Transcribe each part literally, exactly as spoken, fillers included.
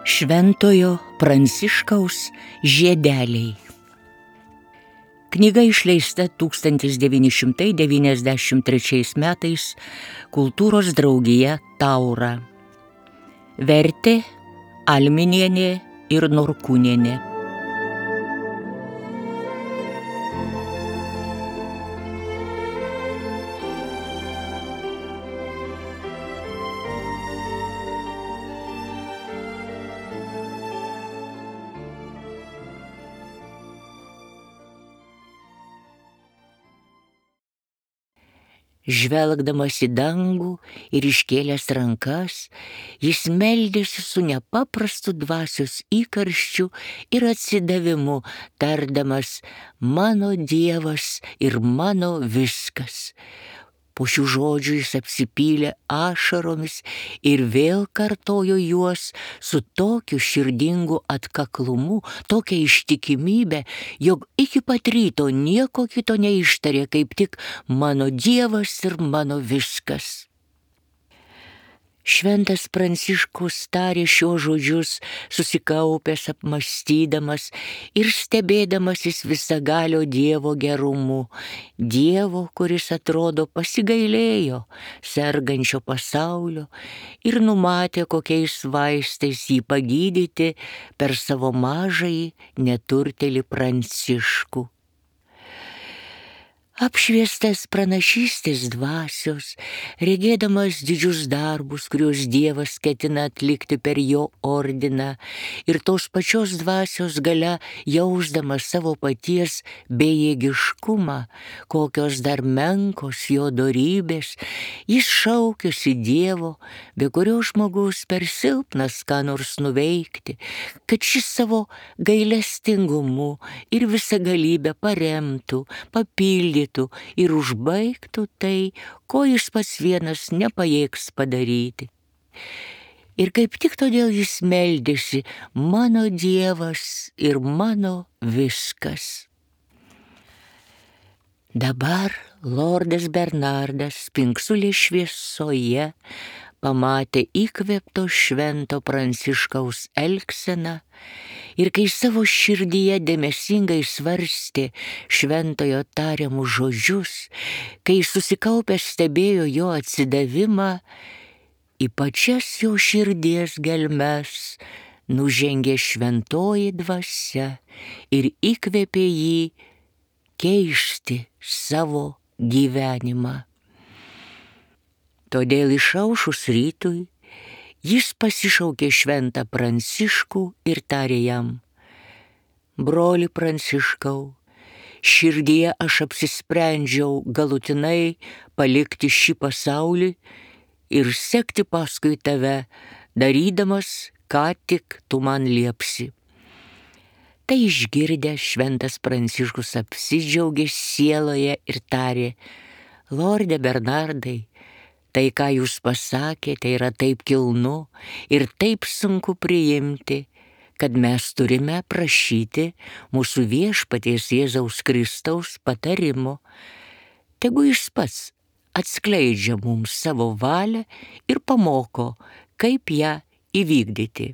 Šventojo Pranciškaus žiedeliai. Knyga išleista tūkstantis devyni šimtai devyniasdešimt trečiais metais Kultūros draugija Taura. Vertė Alminienė ir Norkūnienė. Žvelgdamas į dangų ir iškėlęs rankas, jis meldėsi su nepaprastu dvasios įkarščiu ir atsidavimu, tardamas: mano Dievas ir mano viskas. Po šių žodžių jis apsipylė ašaromis ir vėl kartojo juos su tokiu širdingu atkaklumu, tokia ištikimybė, jog iki pat ryto nieko kito neištarė, kaip tik mano Dievas ir mano viskas. Šventas Pranciškus tarė šiuos žodžius, susikaupęs, apmąstydamas ir stebėdamasis visagalio Dievo gerumu. Dievo, kuris atrodo pasigailėjo sergančio pasaulio ir numatė, kokiais vaistais jį pagydyti per savo mažąjį neturtėlį Pranciškų. Apšviestas pranašystės dvasios, regėdamas didžius darbus, kuriuos Dievas ketina atlikti per jo ordiną, ir tos pačios dvasios galia jausdamas savo paties bejėgiškumą, kokios dar menkos jo dorybės, jis šaukėsi Dievo, be kurio žmogus per silpnas ką nors nuveikti, kad šis savo gailestingumu ir visagalybę paremtų, papildytų ir užbaigtų tai, ko jis pats vienas nepajėgs padaryti. Ir kaip tik todėl jis meldėsi: mano Dievas ir mano viskas. Dabar lordas Bernardas spingsulės šviesoje pamatė įkvėpto švento Pranciškaus elgseną ir kai savo širdyje dėmesingai svarstė šventojo tariamus žodžius, kai susikaupęs stebėjo jo atsidavimą, į pačias jo širdies gelmes nužengė šventoji dvasia ir įkvėpė jį keisti savo gyvenimą. Todėl išaušus rytui jis pasišaukė šventą Pranciškų ir tarė jam: broli Pranciškau, širdyje aš apsisprendžiau galutinai palikti šį pasaulį ir sekti paskui tave, darydamas, ką tik tu man liepsi. Tai išgirdęs šventas Pranciškus apsidžiaugė sieloje ir tarė: lorde Bernardai, tai, ką jūs pasakėte, yra taip kilnu ir taip sunku priimti, kad mes turime prašyti mūsų viešpaties Jėzaus Kristaus patarimo. Tegu jis pats atskleidžia mums savo valią ir pamoko, kaip ją įvykdyti.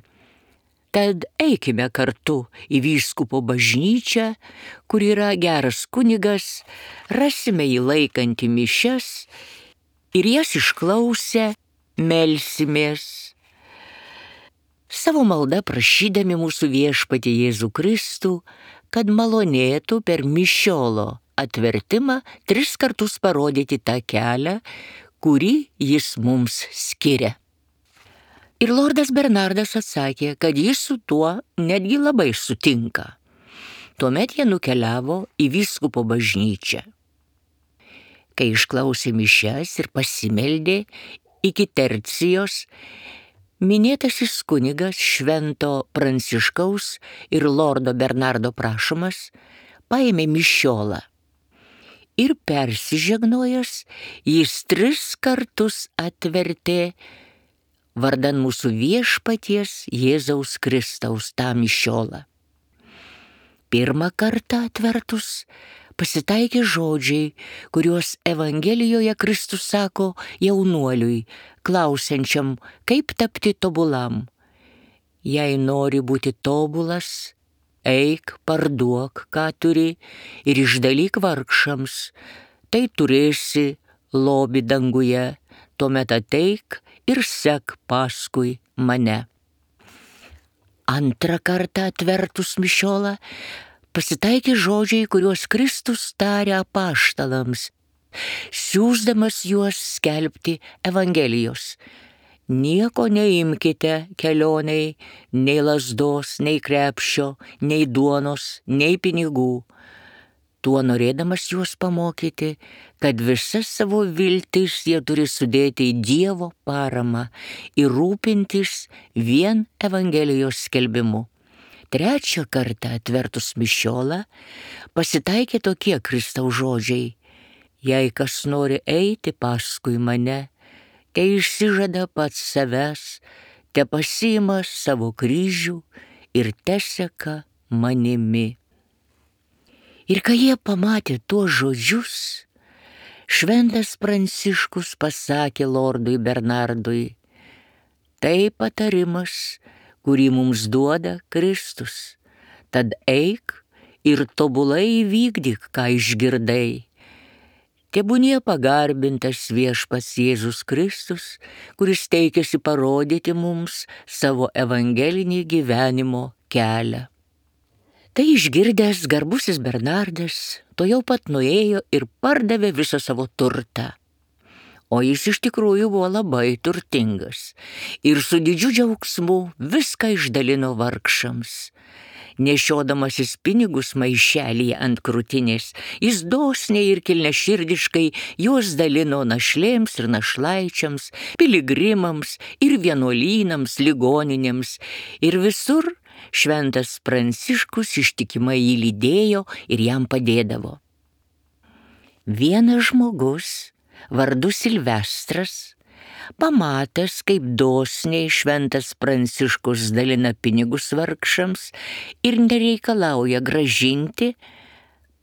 Tad eikime kartu į vyskupo bažnyčią, kur yra geras kunigas, rasime jį laikantį mišias ir jas išklausę melsimės. Savo maldą prašydami mūsų viešpatį Jėzų Kristų, kad malonėtų per mišiolo atvertimą tris kartus parodyti tą kelią, kurį jis mums skiria. Ir lordas Bernardas atsakė, kad jis su tuo netgi labai sutinka. Tuomet jie nukeliavo į vyskupo bažnyčią. Kai išklausė mišias ir pasimeldė iki tercijos, minėtasis kunigas švento Pranciškaus ir lordo Bernardo prašomas paėmė mišiolą ir persižegnojęs, jis tris kartus atvertė vardan mūsų viešpaties Jėzaus Kristaus tą mišiolą. Pirmą kartą atvertus pasitaikė žodžiai, kuriuos Evangelijoje Kristus sako jaunuoliui, klausiančiam, kaip tapti tobulam. Jei nori būti tobulas, eik, parduok, ką turi, ir išdalyk vargšams, tai turėsi lobį danguje, tuomet ateik ir sek paskui mane. Antrą kartą atvertus mišiolą pasitaikė žodžiai, kuriuos Kristus tarė apaštalams, siųsdamas juos skelbti Evangelijos. Nieko neimkite kelionei, nei lazdos, nei krepšio, nei duonos, nei pinigų. Tuo norėdamas juos pamokyti, kad visas savo viltis jie turi sudėti į Dievo paramą ir rūpintis vien Evangelijos skelbimu. Trečią kartą atvertus mišiolą pasitaikė tokie Kristaus žodžiai. Jei kas nori eiti paskui mane, kai išsižada pats savęs, te pasiima savo kryžių ir teseka manimi. Ir kai jie pamatė tuos žodžius, šventas Pranciškus pasakė lordui Bernardui, tai patarimas, kurį mums duoda Kristus, tad eik ir tobulai įvykdyk, ką išgirdai. Tebūnie pagarbintas viešpats Jėzus Kristus, kuris teikėsi parodyti mums savo evangelinį gyvenimo kelią. Tai išgirdęs garbusis Bernardas tuojau pat nuėjo ir pardavė visą savo turtą. O jis iš tikrųjų buvo labai turtingas ir su didžiu džiaugsmu viską išdalino vargšams. Nešiodamasis pinigus maišelyje ant krūtinės, jis dosniai ir kilniaširdiškai juos dalino našlėms ir našlaičiams, piligrimams ir vienuolynams, ligoninėms, ir visur šventas Pranciškus ištikimai jį lydėjo ir jam padėdavo. Vienas žmogus, vardu Silvestras, pamatęs, kaip dosniai šventas Pranciškus dalina pinigus vargšams ir nereikalauja gražinti,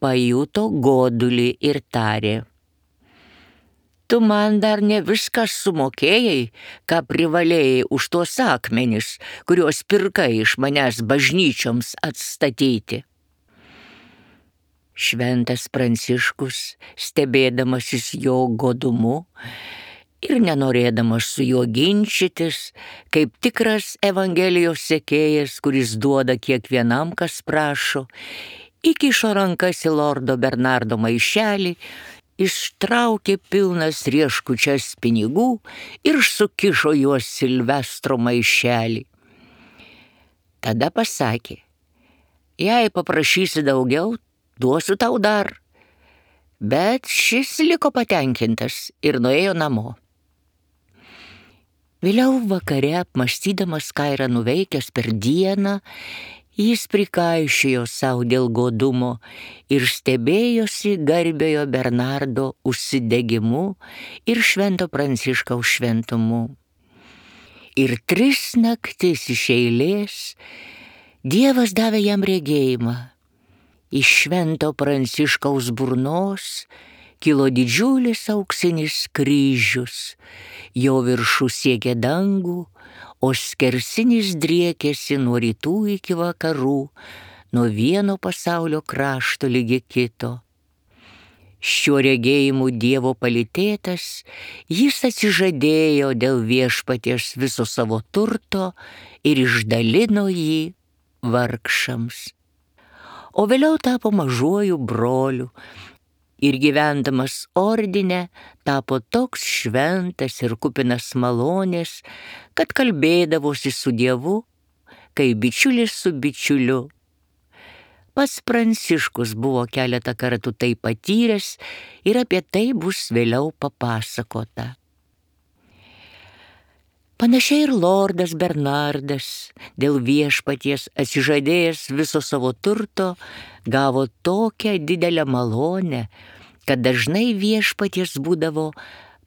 pajuto godulį ir tarė: tu man dar ne viską sumokėjai, ką privalėjai už tuos akmenis, kuriuos pirkai iš manęs bažnyčioms atstatyti. Šventas Pranciškus, stebėdamasis jo godumu ir nenorėdamas su juo ginčytis, kaip tikras Evangelijos sekėjas, kuris duoda kiekvienam, kas prašo, įkišo rankas į lordo Bernardo maišelį, ištraukė pilnas rieškučias pinigų ir sukišo juos Silvestro maišelį. Tada pasakė: jei paprašysi daugiau, duosiu tau dar. Bet šis liko patenkintas ir nuėjo namo. Vėliau vakare, apmąstydamas, ką yra nuveikęs per dieną, jis prikaišiojo savo dėl godumo ir stebėjosi garbiojo Bernardo užsidegimu ir švento Pranciškaus šventumu. Ir tris naktis iš eilės Dievas davė jam regėjimą. Iš švento Pranciškaus burnos kilo didžiulis auksinis kryžius, jo viršus siekė dangų, o skersinis driekėsi nuo rytų iki vakarų, nuo vieno pasaulio krašto ligi kito. Šiuo regėjimu Dievo palytėtas, jis atsižadėjo dėl viešpaties viso savo turto ir išdalino jį vargšams. O vėliau tapo mažuoju broliu ir gyvendamas ordine tapo toks šventas ir kupinas malonės, kad kalbėdavosi su Dievu, kaip bičiulis su bičiuliu. Pats Pranciškus buvo keletą kartų tai patyręs ir apie tai bus vėliau papasakota. Panašiai ir lordas Bernardas, dėl viešpaties atsižadėjęs viso savo turto, gavo tokią didelę malonę, kad dažnai viešpaties būdavo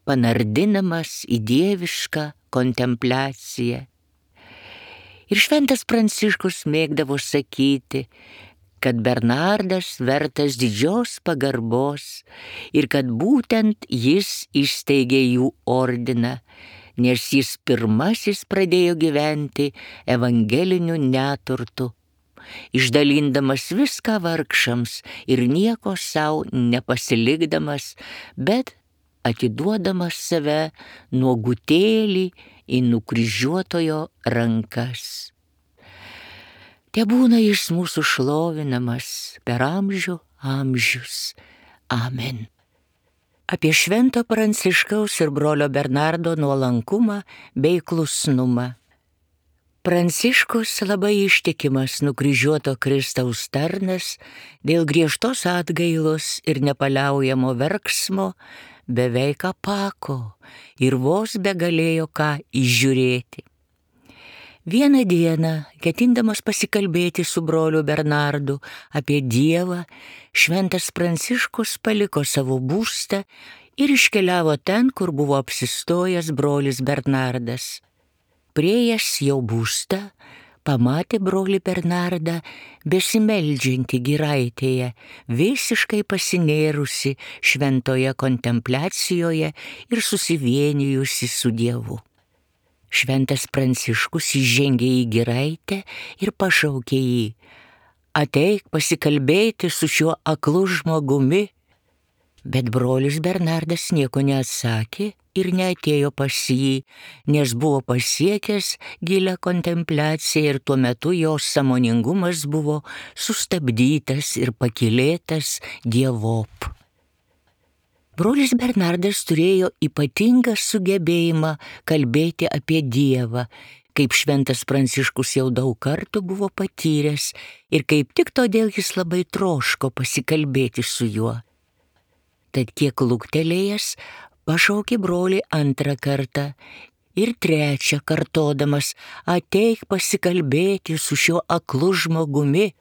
panardinamas į dievišką kontempliaciją. Ir šventas Pranciškus mėgdavo sakyti, kad Bernardas vertas didžios pagarbos ir kad būtent jis įsteigė jų ordiną, nes jis pirmasis pradėjo gyventi evangeliniu neturtu, išdalindamas viską vargšams ir nieko savo nepasilikdamas, bet atiduodamas save nuogutėlį į nukryžiuotojo rankas. Tebūna jis mūsų šlovinamas per amžių amžius. Amen. Apie švento Pranciškaus ir brolio Bernardo nuolankumą bei klusnumą. Pranciškus labai ištikimas nukryžiuoto Kristaus tarnas, dėl griežtos atgailos ir nepaliaujamo verksmo beveik apako ir vos begalėjo ką įžiūrėti. Vieną dieną, ketindamas pasikalbėti su broliu Bernardu apie Dievą, šventas Pranciškus paliko savo būstą ir iškeliavo ten, kur buvo apsistojęs brolis Bernardas. Priėjęs jau būstą, pamatė brolį Bernardą besimeldžiantį giraitėje, visiškai pasinėrusi šventoje kontempliacijoje ir susivienijusi su Dievu. Šventas Pranciškus įžengė į giraitę ir pašaukė jį: ateik pasikalbėti su šiuo aklu žmogumi. Bet brolis Bernardas nieko neatsakė ir neatėjo pas jį, nes buvo pasiekęs gilią kontempliaciją ir tuo metu jo sąmoningumas buvo sustabdytas ir pakylėtas dievop. Brolis Bernardas turėjo ypatingą sugebėjimą kalbėti apie Dievą, kaip šventas Pranciškus jau daug kartų buvo patyręs ir kaip tik todėl jis labai troško pasikalbėti su juo. Tad kiek luktelėjęs pašaukė brolį antrą kartą ir trečią kartodamas: ateik pasikalbėti su šiuo aklu žmogumi.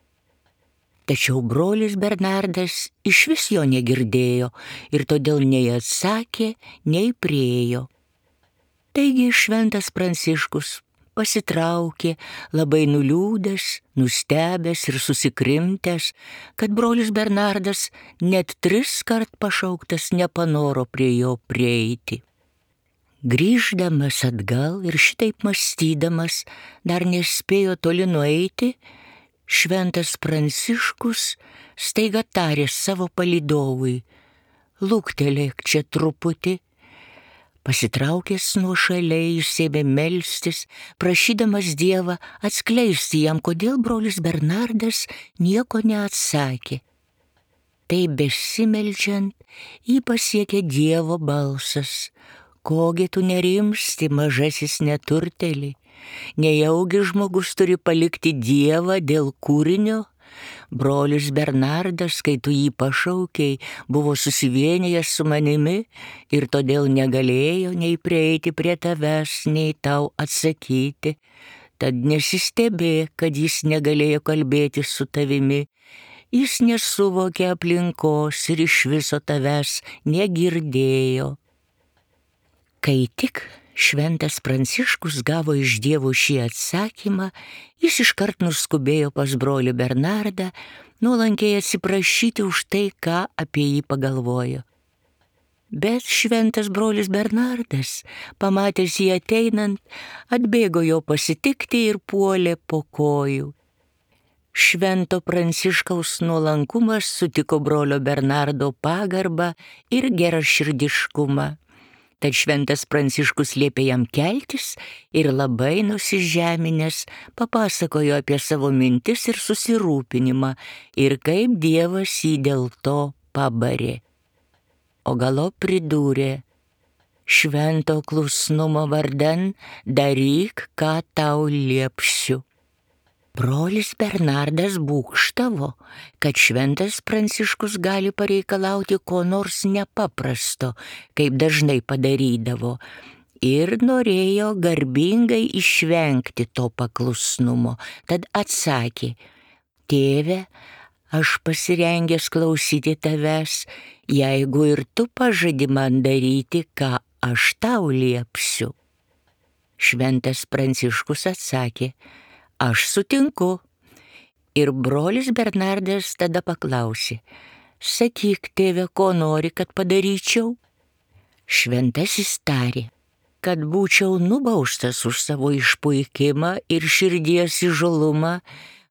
Tačiau brolis Bernardas išvis jo negirdėjo ir todėl nei atsakė, nei priėjo. Taigi šventas Pranciškus pasitraukė, labai nuliūdęs, nustebęs ir susikrimtęs, kad brolis Bernardas net tris kart pašauktas nepanoro prie jo prieiti. Grįždamas atgal ir šitaip mąstydamas, dar nespėjo toli nueiti, šventas Pranciškus staiga tarė savo palydovui: luktelėk čia truputį. Pasitraukęs nuošaliai išsėmė melstis, prašydamas Dievą atskleisti jam, kodėl brolis Bernardas nieko neatsakė. Tai besimeldžiant jį pasiekė Dievo balsas: kogi tu nerimsti, mažasis neturtėli? Nejaugi žmogus turi palikti Dievą dėl kūrinio? Brolis Bernardas, kai tu jį pašaukei, buvo susivienijęs su manimi ir todėl negalėjo nei prieiti prie tavęs, nei tau atsakyti. Tad nesistebėk, kad jis negalėjo kalbėti su tavimi. Jis nesuvokė aplinkos ir iš viso tavęs negirdėjo. Kai tik šventas Pranciškus gavo iš Dievo šį atsakymą, jis iškart nuskubėjo pas brolį Bernardą, nuolankiai atsiprašyti už tai, ką apie jį pagalvojo. Bet šventas brolis Bernardas, pamatęs jį ateinant, atbėgo jo pasitikti ir puolė po kojų. Švento Pranciškaus nuolankumas sutiko brolio Bernardo pagarbą ir geraširdiškumą. Tad šventas Pranciškus liepė jam keltis ir labai nusižeminęs papasakojo apie savo mintis ir susirūpinimą ir kaip Dievas jį dėl to pabarė. O galop pridūrė: švento klusnumo vardan daryk, ką tau liepsiu. Brolis Bernardas būgštavo, kad šventas Pranciškus gali pareikalauti ko nors nepaprasto, kaip dažnai padarydavo, ir norėjo garbingai išvengti to paklusnumo. Tad atsakė: tėve, aš pasirengęs klausyti tavęs, jeigu ir tu pažadi man daryti, ką aš tau liepsiu. Šventas Pranciškus atsakė: aš sutinku Ir brolis Bernardas tada paklausė: sakyk, tėve, ko nori, kad padaryčiau? Šventasis tarė: kad būčiau nubaustas už savo išpuikimą ir širdies įžūlumą,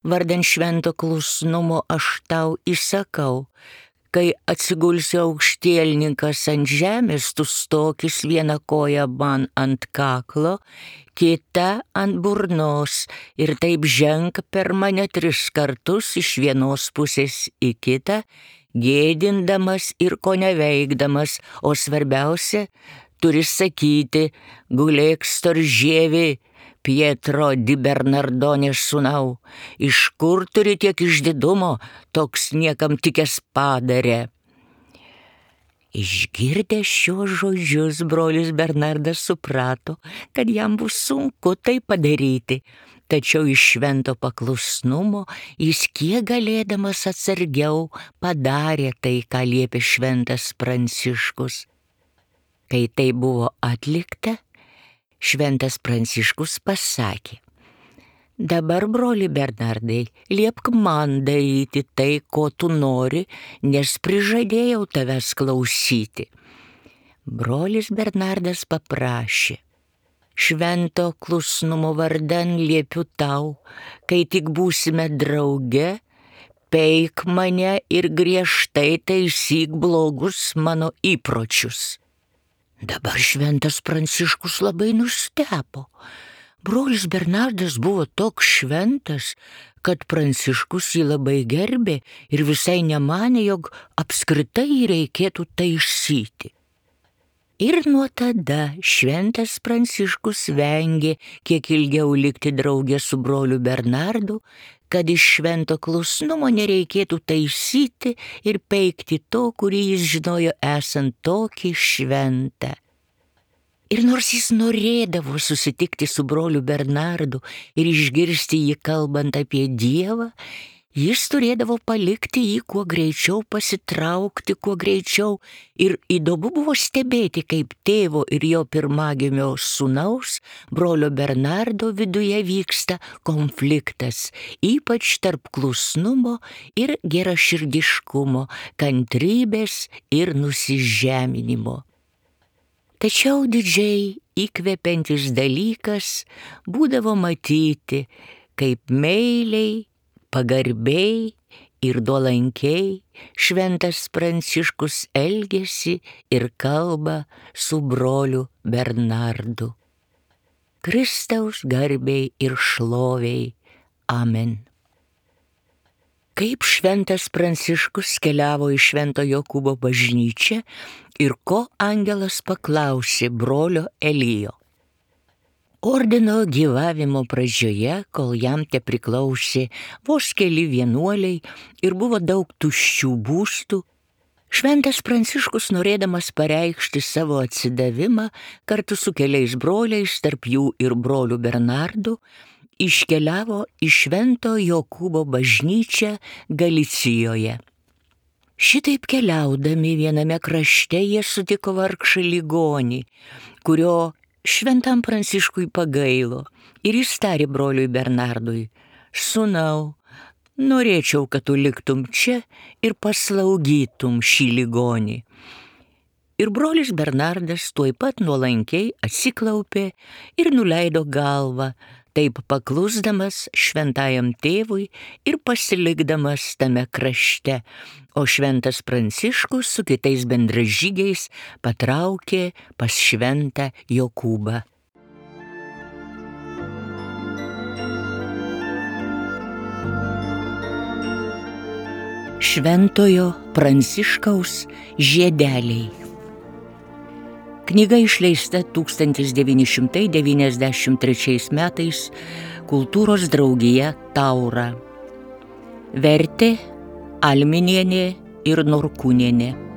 vardan švento klusnumo aš tau įsakau, kai atsigulsi aukštielninkas ant žemės, tu stokis vieną koją man ant kaklo, kita ant burnos, ir taip ženk per mane tris kartus iš vienos pusės į kitą, gėdindamas ir ko neveikdamas, o svarbiausia, turi sakyti: gulėk storžievi, Pietro di Bernardone sūnau, iš kur turi tiek išdidumo, toks niekam tikęs padarė. Išgirdęs šios žodžius, brolis Bernardas suprato, kad jam bus sunku tai padaryti, tačiau iš švento paklusnumo jis kiek galėdamas atsargiau padarė tai, ką liepė šventas Pranciškus. Kai tai buvo atlikta, šventas Pranciškus pasakė: dabar, broli Bernardai, liepk man daryti tai, ko tu nori, nes prižadėjau tavęs klausyti. Brolis Bernardas paprašė: švento klusnumo vardan liepiu tau, kai tik būsime drauge, peik mane ir griežtai taisyk blogus mano įpročius. Dabar šventas Pranciškus labai nustebo. Brolis Bernardas buvo toks šventas, kad Pranciškus jį labai gerbė ir visai nemanė, jog apskritai jį reikėtų taisyti. Ir nuo tada šventas Pranciškus vengė kiek ilgiau likti drauge su broliu Bernardu, kad iš švento klusnumo nereikėtų taisyti ir peikti to, kurį jis žinojo esant tokį šventą. Ir nors jis norėdavo susitikti su broliu Bernardu ir išgirsti jį kalbant apie Dievą, jis turėdavo palikti jį kuo greičiau, pasitraukti kuo greičiau, ir įdomu buvo stebėti, kaip tėvo ir jo pirmagimio sūnaus, brolio Bernardo viduje vyksta konfliktas, ypač tarp klusnumo ir geraširdiškumo, kantrybės ir nusižeminimo. Tačiau didžiai įkvepiantis dalykas būdavo matyti, kaip meiliai, pagarbiai ir nuolankiai šventas Pranciškus elgėsi ir kalba su broliu Bernardu. Kristaus garbei ir šloviai. Amen. Kaip šventas Pranciškus keliavo į Švento Jokūbo bažnyčią ir ko angelas paklausė brolio Elijo. Ordino gyvavimo pradžioje, kol jam te priklausė vos keli vienuoliai ir buvo daug tuščių būstų, šventas Pranciškus, norėdamas pareikšti savo atsidavimą kartu su keliais broliais, tarp jų ir broliu Bernardu, iškeliavo į Švento Jokūbo bažnyčią Galicijoje. Šitaip keliaudami viename krašte jie sutiko vargšą ligonį, kurio šventam Pranciškui pagailo, ir jis tarė broliui Bernardui: sūnau, norėčiau, kad tu liktum čia ir paslaugytum šį ligonį. Ir brolis Bernardas tuoj pat nuolankiai atsiklaupė ir nuleido galvą, taip paklusdamas šventajam tėvui ir pasilikdamas tame krašte, o šventas Pranciškus su kitais bendražygiais patraukė pas šventą Jokūbą. Šventojo Pranciškaus žiedeliai. Knyga išleista tūkstantis devyni šimtai devyniasdešimt trečiais metais Kultūros draugija Taura. Vertė Alminienė ir Norkūnienė.